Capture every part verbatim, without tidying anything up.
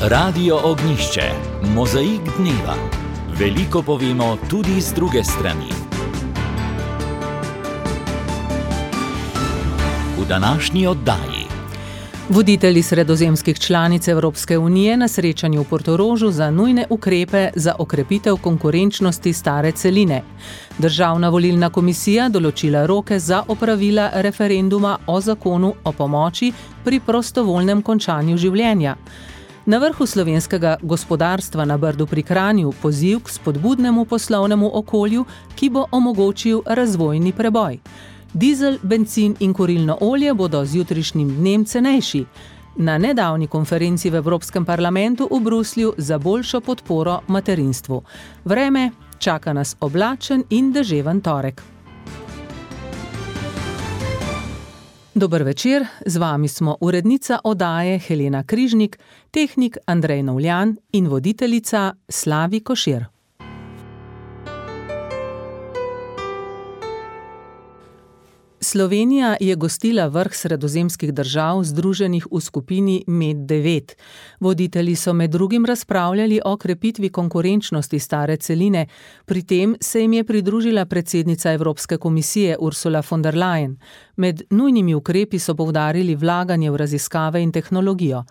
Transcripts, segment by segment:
Radio Ognjišče, mozaik dneva. Veliko povemo tudi z druge strani. V današnji oddaji. Voditelji sredozemskih članic Evropske unije na srečanju v Portorožu za nujne ukrepe za okrepitev konkurenčnosti stare celine. Državna volilna komisija določila roke za opravila referenduma o zakonu o pomoči pri prostovoljnem končanju življenja. Na vrhu slovenskega gospodarstva na Brdu pri Kranju poziv k spodbudnemu poslovnemu okolju, ki bo omogočil razvojni preboj. Dizel, bencin in kurilno olje bodo z jutrišnjim dnem cenejši. Na nedavni konferenci v Evropskem parlamentu v Bruslju za boljšo podporo materinstvu. Vreme čaka nas oblačen in deževen torek. Dober večer, z vami smo urednica oddaje Helena Križnik, tehnik Andrej Novljan in voditeljica Slavi Košir. Slovenija je gostila vrh sredozemskih držav združenih v skupini Med devet. Voditelji so med drugim razpravljali o krepitvi konkurenčnosti stare celine, pri tem se jim je pridružila predsednica Evropske komisije Ursula von der Leyen. Med nujnimi ukrepi so poudarili vlaganje v raziskave in tehnologijo.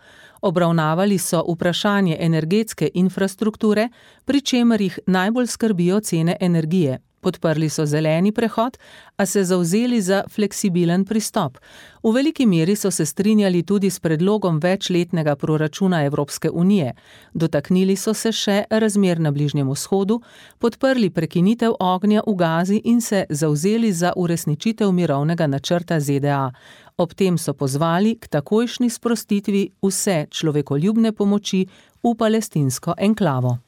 Obravnavali so vprašanje energetske infrastrukture, pri čemer jih najbolj skrbijo cene energije. Podprli so zeleni prehod, a se zavzeli za fleksibilen pristop. V veliki meri so se strinjali tudi s predlogom večletnega proračuna Evropske unije. Dotaknili so se še razmer na Bližnjem vzhodu, podprli prekinitev ognja v Gazi in se zavzeli za uresničitev mirovnega načrta Z D A. Ob tem so pozvali k takojšnji sprostitvi vse človekoljubne pomoči v palestinsko enklavo.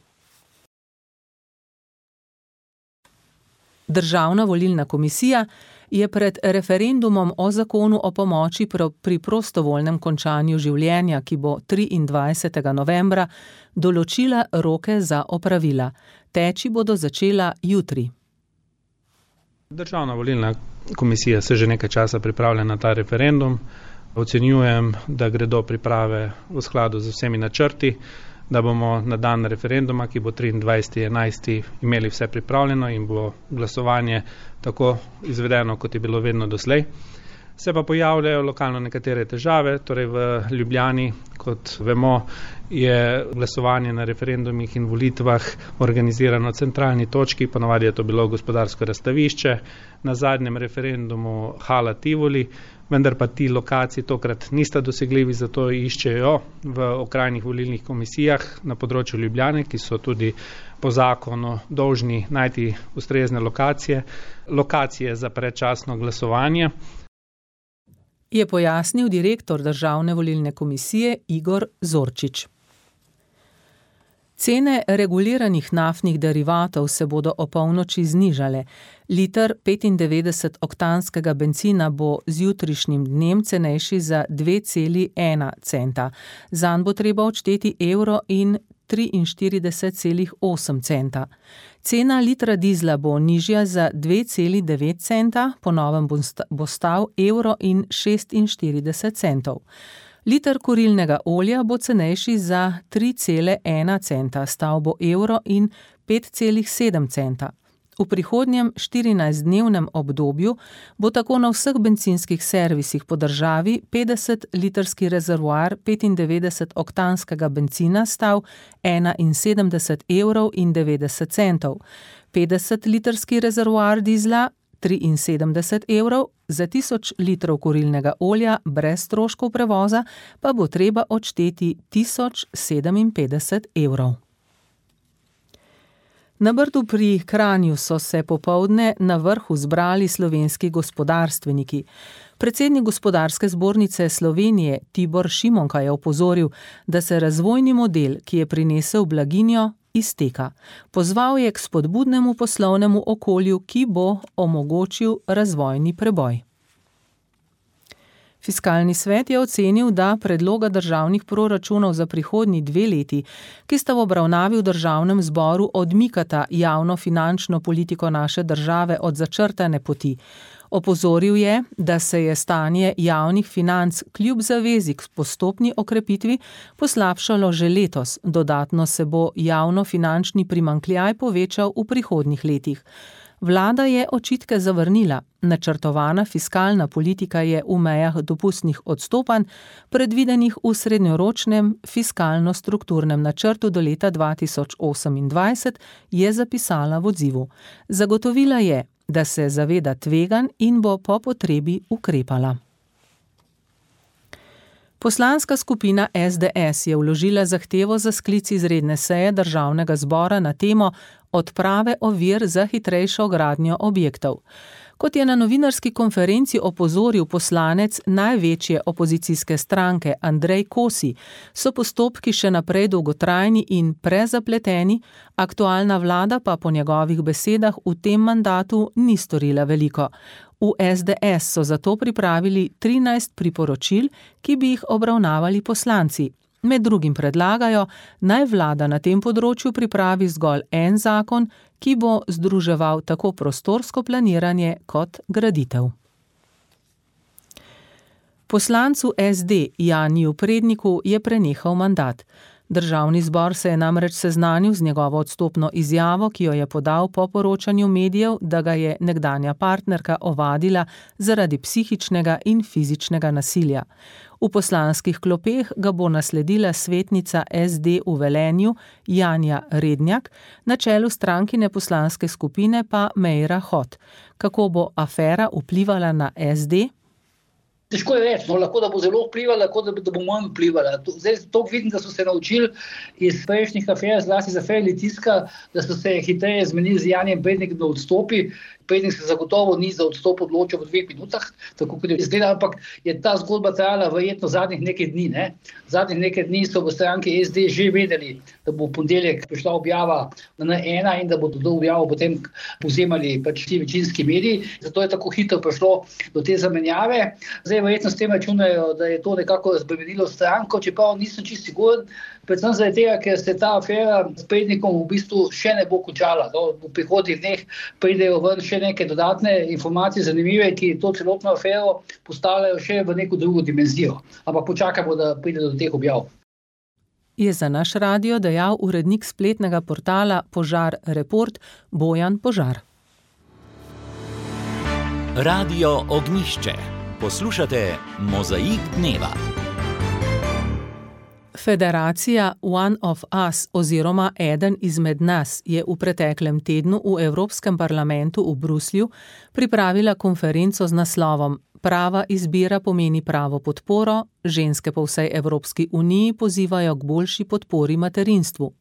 Državna volilna komisija je pred referendumom o zakonu o pomoči pri prostovoljnem končanju življenja, ki bo triindvajsetega novembra, določila roke za opravila. Teči bodo začela jutri. Državna volilna komisija se že nekaj časa pripravlja na ta referendum. Ocenjujem, da gredo priprave v skladu z vsemi načrti, da bomo na dan referenduma, ki bo triindvajsetega enajstega imeli vse pripravljeno in bo glasovanje tako izvedeno, kot je bilo vedno doslej. Se pa pojavljajo lokalno nekatere težave, torej v Ljubljani, kot vemo, je glasovanje na referendumih in volitvah organizirano v centralni točki, ponavadi je to bilo gospodarsko razstavišče, na zadnjem referendumu Hala Tivoli, vendar pa ti lokaciji tokrat nista dosegljivi, zato iščejo v okrajnih volilnih komisijah na področju Ljubljane, ki so tudi po zakonu dolžni najti ustrezne lokacije, lokacije za predčasno glasovanje. Je pojasnil direktor Državne volilne komisije Igor Zorčič. Cene reguliranih naftnih derivatov se bodo o polnoči znižale. Liter petindevetdeset oktanskega bencina bo z jutrišnjim dnem cenejši za dve celi ena centa. Zanj bo treba odšteti evro in triinštirideset celih osem centa. Cena litra dizla bo nižja za dve celi devet centa, po novem bo stal evro in šestinštirideset centov. Liter kurilnega olja bo cenejši za tri cele ena centa, stal bo evro in pet celih sedem centa. V prihodnjem štirinajstdnevnem obdobju bo tako na vseh bencinskih servisih po državi petdesetlitrski rezervoar petindevetdeset oktanskega bencina stal enainsedemdeset evrov in devetdeset centov, petdesetlitrski rezervoar dizla triinsedemdeset evrov, za tisoč litrov kurilnega olja brez stroškov prevoza pa bo treba odšteti tisoč sedeminpetdeset evrov. Na Brdu pri Kranju so se popoldne na vrhu zbrali slovenski gospodarstveniki. Predsednik Gospodarske zbornice Slovenije Tibor Šimonka je opozoril, da se razvojni model, ki je prinesel blaginjo, izteka. Pozval je k spodbudnemu poslovnemu okolju, ki bo omogočil razvojni preboj. Fiskalni svet je ocenil, da predloga državnih proračunov za prihodnji dve leti, ki sta v obravnavi v državnem zboru, odmikata javno finančno politiko naše države od začrtane poti. Opozoril je, da se je stanje javnih financ kljub zavezi k postopni okrepitvi poslabšalo že letos, dodatno se bo javnofinančni primanjkljaj povečal v prihodnjih letih. Vlada je očitke zavrnila. Načrtovana fiskalna politika je v mejah dopustnih odstopanj, predvidenih v srednjeročnem fiskalno-strukturnem načrtu do leta dva tisoč osemindvajset, je zapisala v odzivu. Zagotovila je, da se zaveda tveganj in bo po potrebi ukrepala. Poslanska skupina es de es je vložila zahtevo za sklic izredne seje Državnega zbora na temo odprave ovir za hitrejšo gradnjo objektov. Kot je na novinarski konferenci opozoril poslanec največje opozicijske stranke Andrej Kosi, so postopki še naprej dolgotrajni in prezapleteni, aktualna vlada pa po njegovih besedah v tem mandatu ni storila veliko. V es de es so zato pripravili trinajst priporočil, ki bi jih obravnavali poslanci. Med drugim predlagajo, naj vlada na tem področju pripravi zgolj en zakon, ki bo združeval tako prostorsko planiranje kot graditev. Poslancu es de Janiju Predniku je prenehal mandat. Državni zbor se je namreč seznanil z njegovo odstopno izjavo, ki jo je podal po poročanju medijev, da ga je nekdanja partnerka ovadila zaradi psihičnega in fizičnega nasilja. V poslanskih klopeh ga bo nasledila svetnica es de v Velenju Janja Rednjak, na čelu strankine poslanske skupine pa Meira Hot. Kako bo afera vplivala na es de? Težko je reči, no, lahko da bo zelo vplivala, lahko da, da bo manj vplivala. Zdaj to vidim, da so se naučili iz prejšnjih afer, zlasti iz afere Litijska, da so se hitreje zmenili z Janijem Prednikom, da odstopi. Prednik se zagotovo ni za odstop odločil v dveh minutah, tako kot je izgleda, ampak je ta zgodba trajala verjetno zadnjih nekaj dni. Ne? Zadnjih nekaj dni so v stranki es de že vedeli, da bo v ponedeljek prišla objava na en ena in da bodo to objavo potem povzemali pač ti večinski mediji. Zato je tako hitro prišlo do te zamenjave. Zdaj verjetno s tem računajo, da je to nekako razbremenilo stranko, čeprav nisem čisto siguren, predvsem zaradi tega, ker se ta afera s Prednikom v bistvu še ne bo končala. No, v prihodnjih dneh pridejo ven še neke dodatne informacije zanimive, ki to celotno afero postavljajo še v neko drugo dimenzijo. Ampak počakamo, da pride do teh objav. Je za naš radio dejal urednik spletnega portala Požar Report Bojan Požar. Radio Ognjišče. Poslušate Mozaik dneva. Federacija One of Us oziroma Eden izmed nas je v preteklem tednu v Evropskem parlamentu v Bruslju pripravila konferenco z naslovom Prava izbira pomeni pravo podporo, ženske po vsej Evropski uniji pozivajo k boljši podpori materinstvu.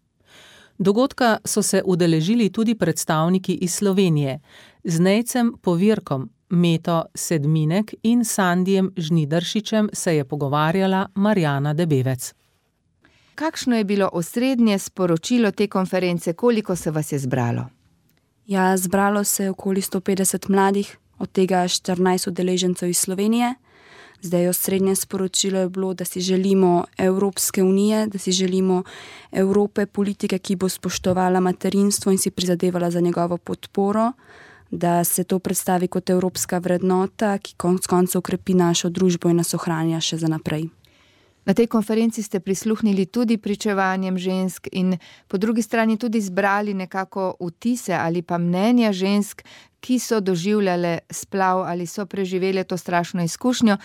Dogodka so se udeležili tudi predstavniki iz Slovenije, z Nejcem Povirkom, Meto Sedminek in Sandijem Žnidaršičem se je pogovarjala Marjana Debevec. Kakšno je bilo osrednje sporočilo te konference, koliko se vas je zbralo? Ja, zbralo se je okoli sto petdeset mladih, od tega štirinajst udeležencev iz Slovenije. Zdaj osrednje sporočilo je bilo, da si želimo Evropske unije, da si želimo Evrope, politike, ki bo spoštovala materinstvo in si prizadevala za njegovo podporo, da se to predstavi kot evropska vrednota, ki konec koncev krepi našo družbo in nas ohranja še za naprej. Na tej konferenci ste prisluhnili tudi pričevanjem žensk in po drugi strani tudi zbrali nekako vtise ali pa mnenja žensk, ki so doživljale splav ali so preživele to strašno izkušnjo.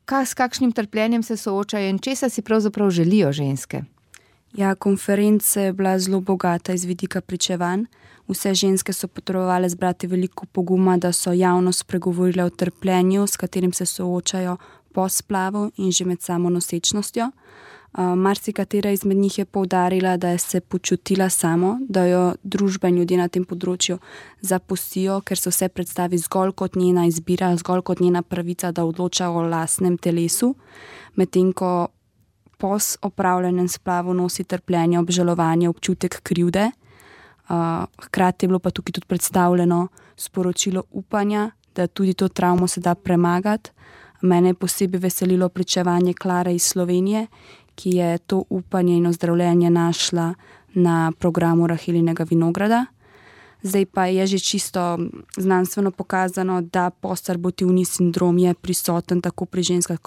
Kaj, s kakšnim trpljenjem se soočajo in česa si pravzaprav želijo ženske? Ja, konferenca je bila zelo bogata iz vidika pričevanj. Vse ženske so potrebovale zbrati veliko poguma, da so javno spregovorile o trpljenju, s katerim se soočajo po splavu in že med samo nosečnostjo. Uh, marsikatera izmed njih je poudarila, da je se počutila samo, da jo družba in ljudje na tem področju zapustijo, ker se vse predstavi zgolj kot njena izbira, zgolj kot njena pravica, da odloča o lastnem telesu, medtem ko po opravljenem splavu nosi trpljenje, obžalovanje, občutek krivde. Uh, hkrati je bilo pa tukaj tudi predstavljeno sporočilo upanja, da tudi to travmo se da premagati. Mene je posebej veselilo pričevanje Klare iz Slovenije, ki je to upanje in ozdravljenje našla na programu Rahelinega vinograda. Zdaj pa je že čisto znanstveno pokazano, da postabortivni sindrom je prisoten tako pri ženskah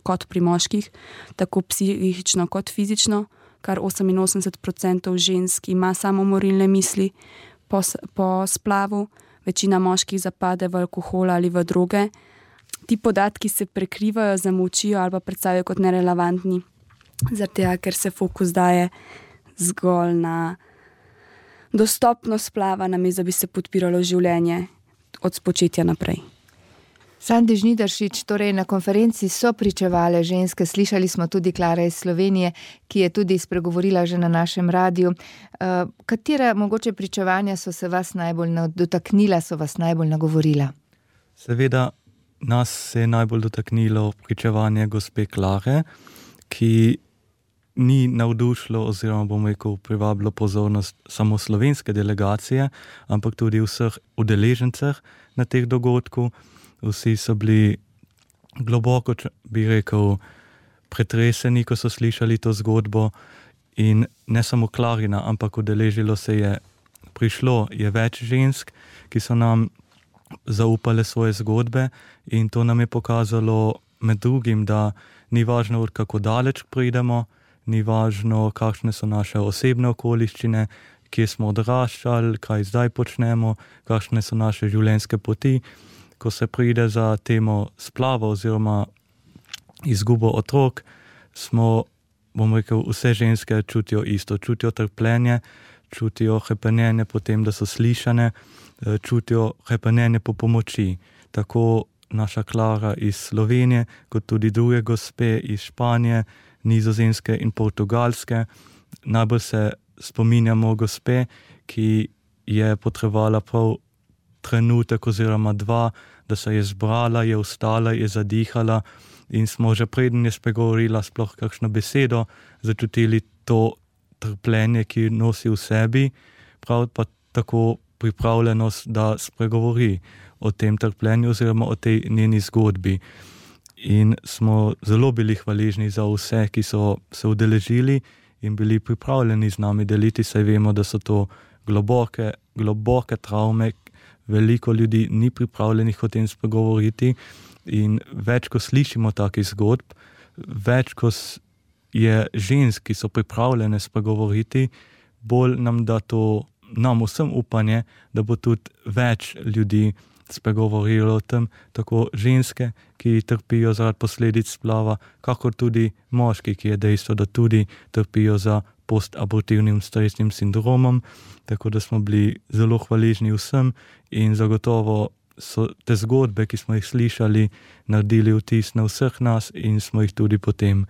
kot pri moških, tako psihično kot fizično, kar oseminosemdeset procentov žensk ima samomorilne misli po, po splavu, večina moških zapade v alkohol ali v droge. Ti podatki se prekrivajo, zamolčijo ali pa predstavijo kot nerelevantni, zaradi tega, ker se fokus daje zgolj na dostopnost splava, namesto da bi se podpiralo življenje od spočetja naprej. Sandi Žnidaršič, torej na konferenci so pričevale ženske, slišali smo tudi Klara iz Slovenije, ki je tudi spregovorila že na našem radiju. Uh, katera mogoče pričevanja so se vas najbolj dotaknila, so vas najbolj nagovorila? Seveda nas se je najbolj dotaknilo pričevanje gospe Klare, ki ni navdušilo oziroma bomo rekel privabilo pozornost samo slovenske delegacije, ampak tudi vseh udeležencev na teh dogodku. Vsi so bili globoko, bi rekel, pretreseni, ko so slišali to zgodbo in ne samo Klarina, ampak udeležilo se je, prišlo je več žensk, ki so nam zaupale svoje zgodbe in to nam je pokazalo med drugim, da ni važno, kako daleč pridemo, ni važno, kakšne so naše osebne okoliščine, kje smo odraščali, kaj zdaj počnemo, kakšne so naše življenjske poti. Ko se pride za temo splava oziroma izgubo otrok, smo, bom rekel, vse ženske čutijo isto, čutijo trpljenje, čutijo hrepenenje po tem, da so slišane, čutijo hrepenenje po pomoči. Tako naša Klara iz Slovenije, kot tudi druge gospe iz Španije, Nizozemske in Portugalske. Najbolj se spominjamo gospe, ki je potrebovala prav trenutek oziroma dva, da se je zbrala, je vstala, je zadihala in smo že preden je spregovorila sploh kakšno besedo, začutili to trpljenje, ki nosi v sebi, prav pa tako pripravljenost, da spregovori o tem trpljenju oziroma o tej njeni zgodbi. In smo zelo bili hvaležni za vse, ki so se udeležili in bili pripravljeni z nami deliti, saj vemo, da so to globoke, globoke travme, veliko ljudi ni pripravljenih o tem spregovoriti in več, ko slišimo takih zgodb, več, ko je žensk, ki so pripravljene spregovoriti, bolj nam da to, nam vsem upanje, da bo tudi več ljudi spregovorilo o tem, tako ženske, ki trpijo zaradi posledic splava, kakor tudi moški, ki je dejstvo, da tudi trpijo za postabortivnim stresnim sindromom, tako da smo bili zelo hvaležni vsem in zagotovo so te zgodbe, ki smo jih slišali, naredili vtis na vseh nas in smo jih tudi potem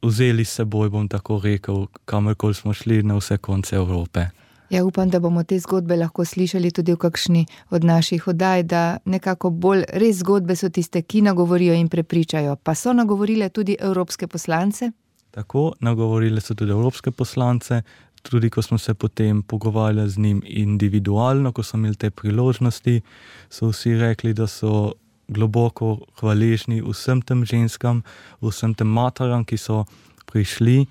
vzeli s seboj, bom tako rekel, kamorkoli smo šli na vse konce Evrope. Ja, upam, da bomo te zgodbe lahko slišali tudi v kakšni od naših oddaj, da nekako bolj res zgodbe so tiste, ki nagovorijo in prepričajo. Pa so nagovorile tudi evropske poslance? Tako, nagovorile so tudi evropske poslance, tudi ko smo se potem pogovarjali z njim individualno, ko so imeli te priložnosti, so vsi rekli, da so globoko hvaležni vsem tem ženskam, vsem tem materam, ki so prišli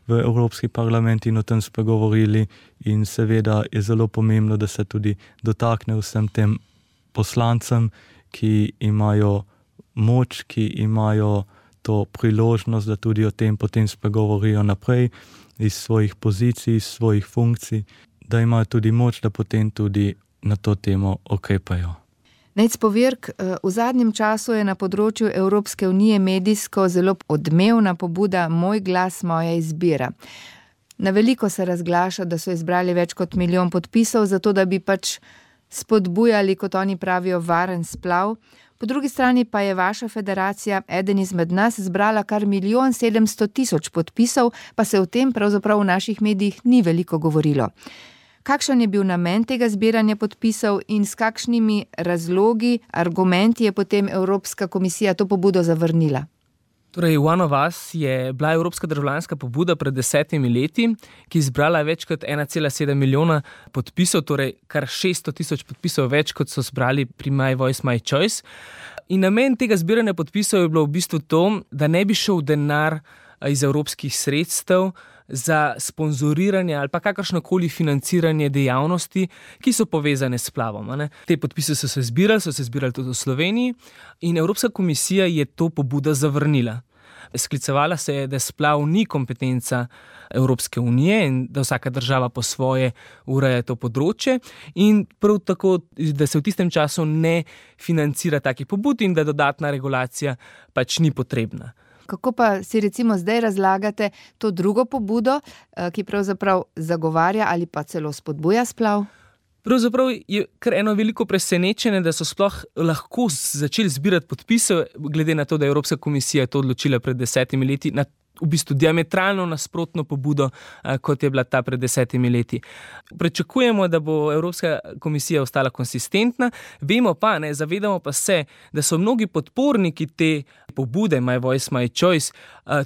v Evropski parlament in o tem spregovorili in seveda je zelo pomembno, da se tudi dotakne vsem tem poslancem, ki imajo moč, ki imajo to priložnost, da tudi o tem potem spregovorijo naprej iz svojih pozicij, iz svojih funkcij, da imajo tudi moč, da potem tudi na to temo okrepajo. Nejc Povirk, v zadnjem času je na področju Evropske unije medijsko zelo odmevna pobuda Moj glas, moja izbira. Na veliko se razglaša, da so izbrali več kot milijon podpisov, zato da bi pač spodbujali, kot oni pravijo, varen splav. Po drugi strani pa je vaša federacija, eden izmed nas, zbrala kar milijon sedemsto tisoč podpisov, pa se o tem pravzaprav v naših medijih ni veliko govorilo. Kakšen je bil namen tega zbiranja podpisov in s kakšnimi razlogi, argumenti je potem Evropska komisija to pobudo zavrnila? Torej, One of Us je bila evropska državljanska pobuda pred desetimi leti, ki je zbrala več kot ena cela sedem milijona podpisov, torej kar šeststo tisoč podpisov več, kot so zbrali pri My Voice, My Choice. In namen tega zbiranja podpisov je bilo v bistvu to, da ne bi šel denar iz evropskih sredstev za sponzoriranje ali pa kakršnokoli financiranje dejavnosti, ki so povezane s splavom. Ne. Te podpise so se zbirali, so se zbirali tudi v Sloveniji in Evropska komisija je to pobudo zavrnila. Sklicevala se je, da splav ni kompetenca Evropske unije in da vsaka država po svoje ureja to področje in prav tako, da se v tistem času ne financira takih pobud in da dodatna regulacija pač ni potrebna. Kako pa si recimo zdaj razlagate to drugo pobudo, ki pravzaprav zagovarja ali pa celo spodbuja splav? Pravzaprav je kar eno veliko presenečenje, da so sploh lahko začeli zbirati podpise, glede na to, da je Evropska komisija to odločila pred desetimi leti, na v bistvu diametralno nasprotno pobudo, kot je bila ta pred desetimi leti. Pričakujemo, da bo Evropska komisija ostala konsistentna, vemo pa, ne, zavedamo pa se, da so mnogi podporniki te pobude My Voice, My Choice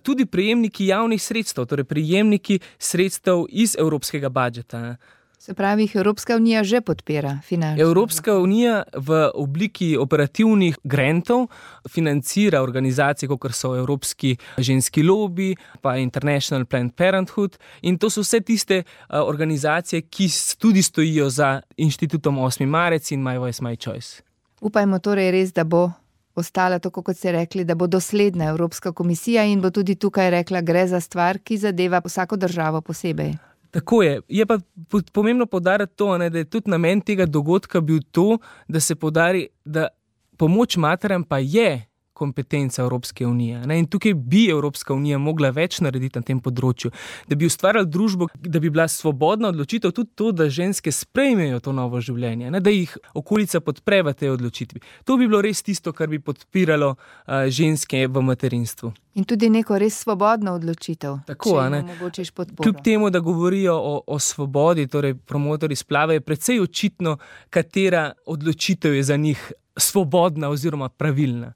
tudi prejemniki javnih sredstev, torej prejemniki sredstev iz evropskega budžeta. Se pravi, jih Evropska unija že podpira finančno. Evropska unija v obliki operativnih grantov financira organizacije, kot so Evropski ženski lobi, pa International Planned Parenthood in to so vse tiste organizacije, ki tudi stojijo za inštitutom osmi marec in My Voice, My Choice. Upajmo torej res, da bo ostala, tako kot ste rekli, da bo dosledna Evropska komisija in bo tudi tukaj rekla, gre za stvar, ki zadeva vsako državo posebej. Tako je. Je pa pomembno poudariti to, ne, da je tudi namen tega dogodka bil to, da se poudari, da pomoč materam pa je kompetenca Evropske unije. Ne? In tukaj bi Evropska unija mogla več narediti na tem področju, da bi ustvarjali družbo, da bi bila svobodna odločitev tudi to, da ženske sprejmejo to novo življenje, ne? Da jih okolica podpre v tej odločitvi. To bi bilo res tisto, kar bi podpiralo uh, ženske v materinstvu. In tudi neko res svobodno odločitev, tako, če jim omogočiš podporo. Kljub temu, da govorijo o, o svobodi, torej promotorji splava, je precej očitno, katera odločitev je za njih svobodna oziroma pravilna.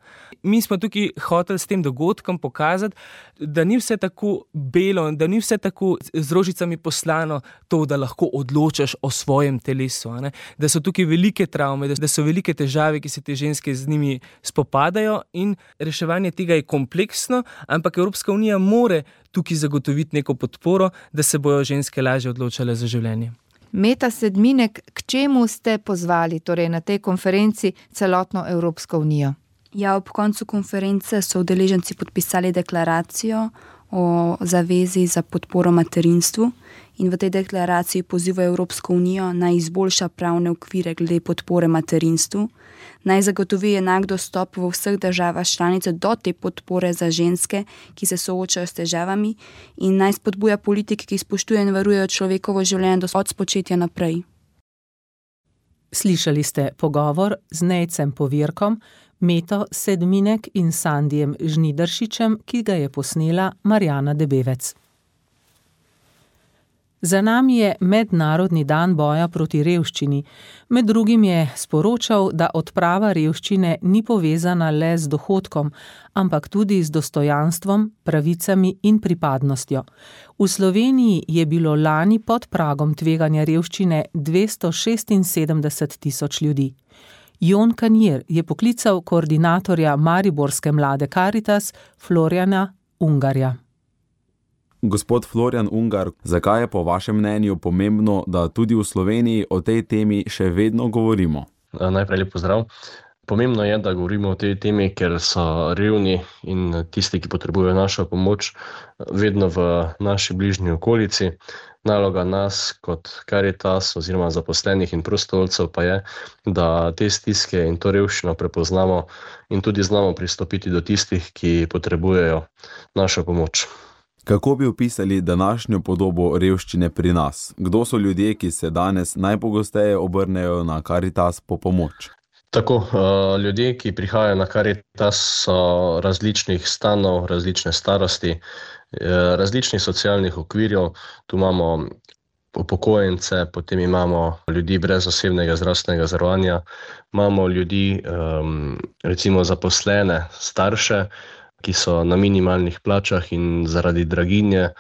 Mi smo tukaj hoteli s tem dogodkom pokazati, da ni vse tako belo, da ni vse tako z rožicami poslano to, da lahko odločaš o svojem telesu. Ne? Da so tukaj velike travme, da so velike težave, ki se te ženske z njimi spopadajo in reševanje tega je kompleksno, ampak Evropska unija more tukaj zagotoviti neko podporo, da se bojo ženske lažje odločale za življenje. Meta Sedminek, k čemu ste pozvali torej na tej konferenci celotno Evropsko unijo? Ja, ob koncu konference so udeleženci podpisali deklaracijo o zavezi za podporo materinstvu in v tej deklaraciji pozivajo Evropsko unijo naj izboljša pravne okvire glede podpore materinstvu, naj zagotovi enak dostop v vseh državah članice do te podpore za ženske, ki se soočajo s težavami in naj spodbuja politike, ki spoštujejo in varujejo človekovo življenje od spočetja naprej. Slišali ste pogovor z Nejcem Povirkom, Meto Sedminek in Sandijem Žnidaršičem, ki ga je posnela Marjana Debevec. Za nami je Mednarodni dan boja proti revščini. Med drugim je sporočal, da odprava revščine ni povezana le z dohodkom, ampak tudi z dostojanstvom, pravicami in pripadnostjo. V Sloveniji je bilo lani pod pragom tveganja revščine dvesto šestinsedemdeset tisoč ljudi. Jon Kanjer je poklical koordinatorja mariborske mlade Karitas Florjana Ungarja. Gospod Florjan Ungar, zakaj je po vašem mnenju pomembno, da tudi v Sloveniji o tej temi še vedno govorimo? Najprej lep pozdrav. Pomembno je, da govorimo o tej temi, ker so revni in tisti, ki potrebujejo našo pomoč, vedno v naši bližnji okolici. Naloga nas kot Karitas oziroma zaposlenih in prostovoljcev pa je, da te stiske in to revščino prepoznamo in tudi znamo pristopiti do tistih, ki potrebujejo našo pomoč. Kako bi opisali današnjo podobo revščine pri nas? Kdo so ljudje, ki se danes najpogosteje obrnejo na Karitas po pomoč? Tako, ljudje, ki prihajajo na Karitas, so različnih stanov, različne starosti, različnih socialnih okvirjev. Tu imamo upokojence, potem imamo ljudi brez osebnega zdravstvenega zavarovanja, imamo ljudi, recimo zaposlene, starše, ki so na minimalnih plačah in zaradi draginje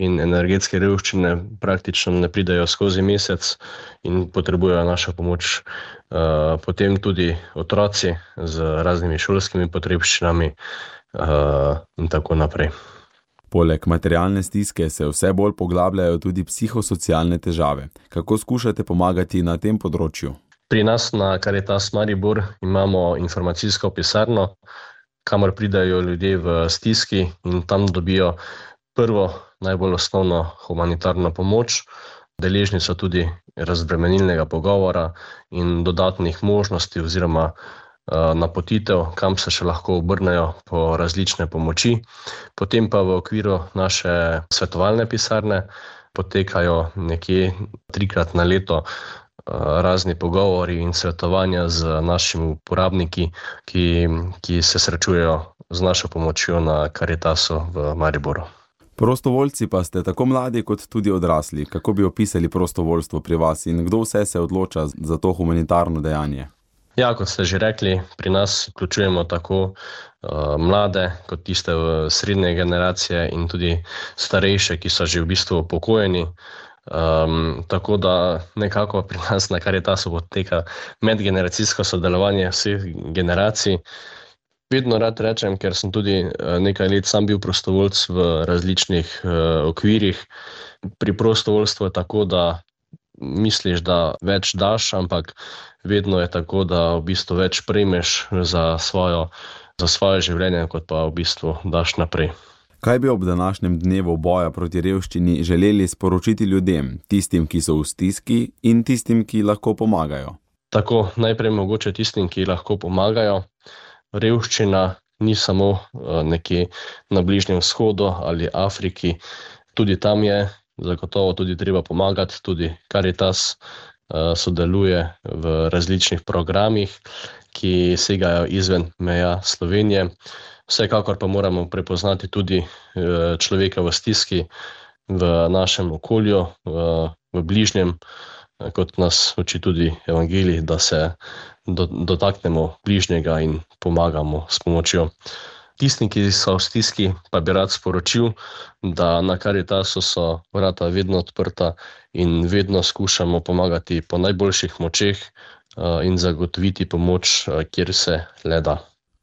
in energetske revščine praktično ne pridejo skozi mesec in potrebujejo našo pomoč. Potem tudi otroci z raznimi šolskimi potrebščinami in tako naprej. Poleg materialne stiske se vse bolj poglabljajo tudi psihosocialne težave. Kako skušate pomagati na tem področju? Pri nas na Caritas Maribor imamo informacijsko pisarno, kamor pridajo ljudje v stiski in tam dobijo prvo, najbolj osnovno humanitarno pomoč, deležni so tudi razbremenilnega pogovora in dodatnih možnosti oziroma napotitev, kam se še lahko obrnejo po različne pomoči. Potem pa v okviru naše svetovalne pisarne potekajo nekje trikrat na leto razni pogovori in svetovanja z našimi uporabniki, ki, ki se srečujejo z našo pomočjo na Caritasu v Mariboru. Prostovoljci pa ste tako mladi kot tudi odrasli. Kako bi opisali prostovoljstvo pri vas in kdo vse se odloča za to humanitarno dejanje? Ja, kot ste že rekli, pri nas vključujemo tako uh, mlade, kot tiste v srednje generacije in tudi starejše, ki so že v bistvu upokojeni. Um, tako da nekako pri nas na Caritasu poteka medgeneracijsko sodelovanje vseh generacij. Vedno rad rečem, ker sem tudi nekaj let sam bil prostovoljc v različnih uh, okvirih. Pri prostovoljstvu je tako, da misliš, da več daš, ampak vedno je tako, da v bistvu več prejmeš za svojo, za svoje življenje, kot pa v bistvu daš naprej. Kaj bi ob današnjem dnevu boja proti revščini želeli sporočiti ljudem, tistim, ki so v stiski in tistim, ki lahko pomagajo? Tako, najprej mogoče tistim, ki lahko pomagajo. Revščina ni samo nekje na Bližnjem vzhodu ali Afriki, tudi tam je zagotovo tudi treba pomagati, tudi Caritas sodeluje v različnih programih, ki segajo izven meja Slovenije. Vsekakor pa moramo prepoznati tudi človeka v stiski v našem okolju, v bližnjem, kot nas uči tudi evangelij, da se dotaknemo bližnjega in pomagamo s pomočjo. Tistim, ki so v stiski, pa bi rad sporočil, da na Caritasu so vrata vedno odprta in vedno skušamo pomagati po najboljših močeh in zagotoviti pomoč, kjer se le da.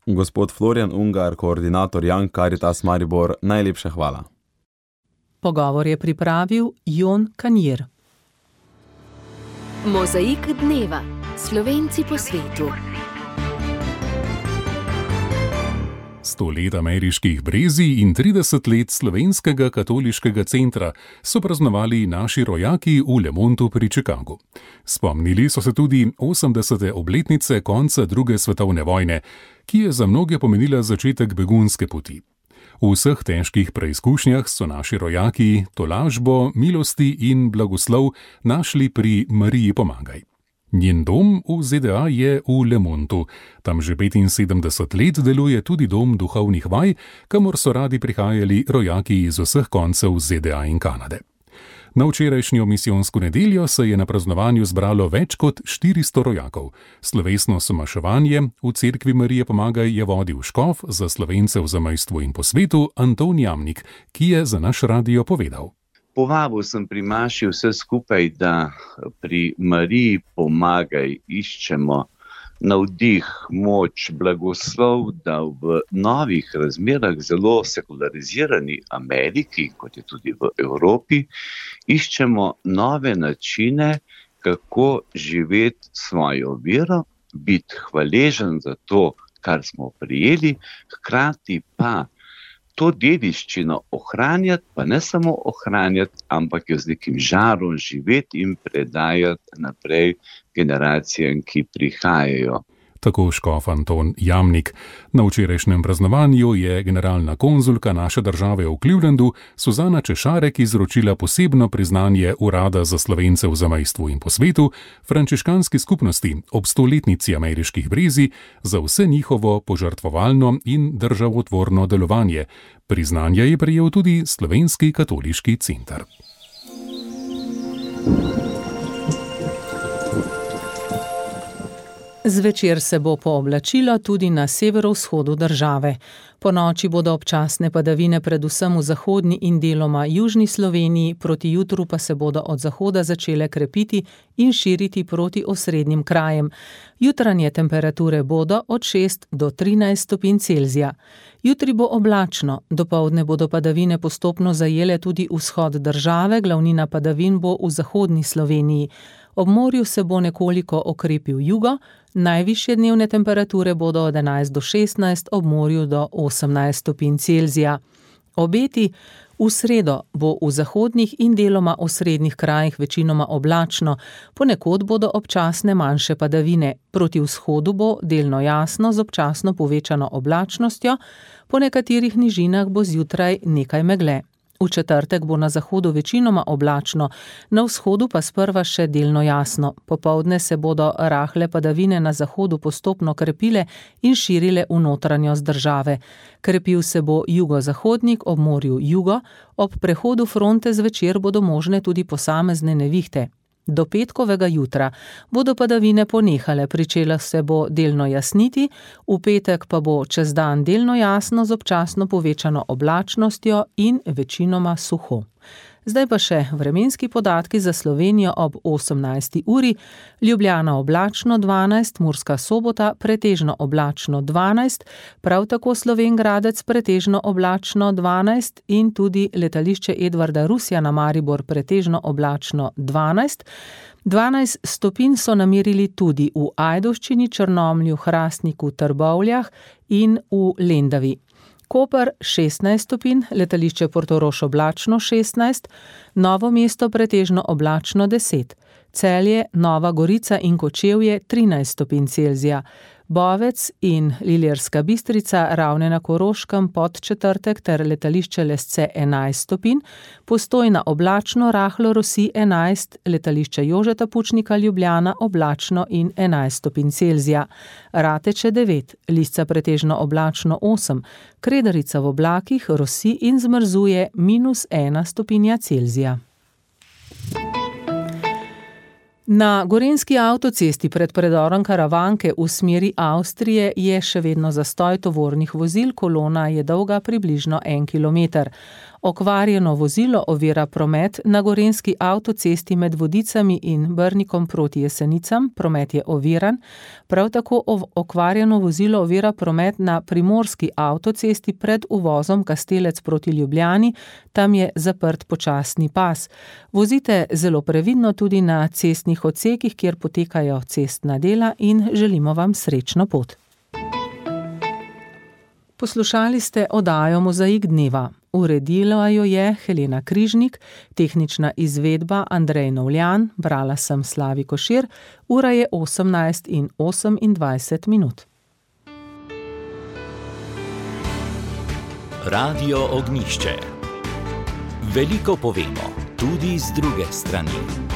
Gospod Florjan Ungar, koordinator Young Caritas Maribor, najlepša hvala. Pogovor je pripravil Jon Kanjer. Mozaik dneva. Slovenci po svetu. Sto let ameriških brezij in trideset let slovenskega katoliškega centra so praznovali naši rojaki v Lemontu pri Chicagu. Spomnili so se tudi osemdesete obletnice konca druge svetovne vojne, ki je za mnoge pomenila začetek begunske poti. V vseh težkih preizkušnjah so naši rojaki tolažbo, milosti in blagoslov našli pri Mariji Pomagaj. Njen dom v Z D A je v Lemontu. Tam že petinsedemdeset let deluje tudi dom duhovnih vaj, kamor so radi prihajali rojaki iz vseh koncev Z D A in Kanade. Na včerajšnjo misijonsko nedeljo se je na praznovanju zbralo več kot štiristo rojakov. Slovesno somaševanje v cerkvi Marije Pomagaj je vodil škof za Slovence v zamejstvu in po svetu Anton Jamnik, ki je za naš radio povedal. Povabil sem pri maši vse skupaj, da pri Mariji Pomagaj iščemo navdih, moč, blagoslov, da v novih razmerah zelo sekularizirani Ameriki, kot je tudi v Evropi, iščemo nove načine, kako živeti svojo vero, biti hvaležen za to, kar smo prijeli, hkrati pa to dediščino ohranjati, pa ne samo ohranjati, ampak jo z nekim žarom živeti in predajati naprej generacijam, ki prihajajo. Tako škof Anton Jamnik. Na včerajšnjem praznovanju je generalna konzulka naše države v Clevelandu Suzana Češarek izročila posebno priznanje Urada za Slovence v zamejstvu in po svetu frančiškanski skupnosti ob stoletnici ameriških brezij za vse njihovo požrtvovalno in državotvorno delovanje. Priznanje je prejel tudi Slovenski katoliški center. Zvečer se bo pooblačilo tudi na severovzhodu države. Po noči bodo občasne padavine predvsem v zahodni in deloma južni Sloveniji, proti jutru pa se bodo od zahoda začele krepiti in širiti proti osrednjim krajem. Jutranje temperature bodo od šest do trinajst stopinj Celzija. Jutri bo oblačno, dopoldne bodo padavine postopno zajele tudi vzhod države, glavnina padavin bo v zahodni Sloveniji. Ob morju se bo nekoliko okrepil jugo, najvišje dnevne temperature bodo od enajst do šestnajst, ob morju do osemnajst stopinj Celzija. Obeti: v sredo bo v zahodnih in deloma osrednjih krajih večinoma oblačno, ponekod bodo občasne manjše padavine. Proti vzhodu bo delno jasno z občasno povečano oblačnostjo, po nekaterih nižinah bo zjutraj nekaj megle. V četrtek bo na zahodu večinoma oblačno, na vzhodu pa sprva še delno jasno. Popoldne se bodo rahle padavine na zahodu postopno krepile in širile v notranjost države. Krepil se bo jugozahodnik, ob morju jugo, ob prehodu fronte zvečer bodo možne tudi posamezne nevihte. Do petkovega jutra bodo padavine ponehale, pričela se bo delno jasniti, v petek pa bo čez dan delno jasno z občasno povečano oblačnostjo in večinoma suho. Zdaj pa še vremenski podatki za Slovenijo ob osemnajsti uri. Ljubljana oblačno dvanajst, Murska Sobota pretežno oblačno dvanajst, prav tako Slovenj Gradec pretežno oblačno dvanajst in tudi letališče Edvarda Rusjana na Maribor pretežno oblačno dvanajst. dvanajst stopinj so namerili tudi v Ajdovščini, Črnomlju, Hrastniku, Trbovljah in v Lendavi. Koper šestnajst stopinj, letališče Portorož oblačno šestnajst, Novo mesto pretežno oblačno deset, Celje, Nova Gorica in Kočevje trinajst stopinj Celzija, Bovec in Ilirska Bistrica, Ravne na Koroškem, Podčetrtek ter letališče Lesce enajst stopinj, Postojna oblačno, rahlo rosi enajst, letališče Jožeta Pučnika Ljubljana oblačno in enajst stopinj Celzija, Rateče devet, Lisca pretežno oblačno osem, Kredarica v oblakih rosi in zmrzuje minus ena stopinja Celzija. Na gorenjski avtocesti pred predorom Karavanke v smeri Avstrije je še vedno zastoj tovornih vozil, kolona je dolga približno en kilometer. Okvarjeno vozilo ovira promet na gorenjski avtocesti med Vodicami in Brnikom proti Jesenicam, promet je oviran. Prav tako okvarjeno vozilo ovira promet na primorski avtocesti pred uvozom Kastelec proti Ljubljani, tam je zaprt počasni pas. Vozite zelo previdno tudi na cestnih odsekih, kjer potekajo cestna dela, in želimo vam srečno pot. Poslušali ste oddajo Mozaik dneva. Uredila jo je Helena Križnik, tehnična izvedba Andrej Novljan, brala sem Slavi Košir, ura je osemnajst in osemindvajset minut. Radio Ognjišče. Veliko povemo, tudi z druge strani.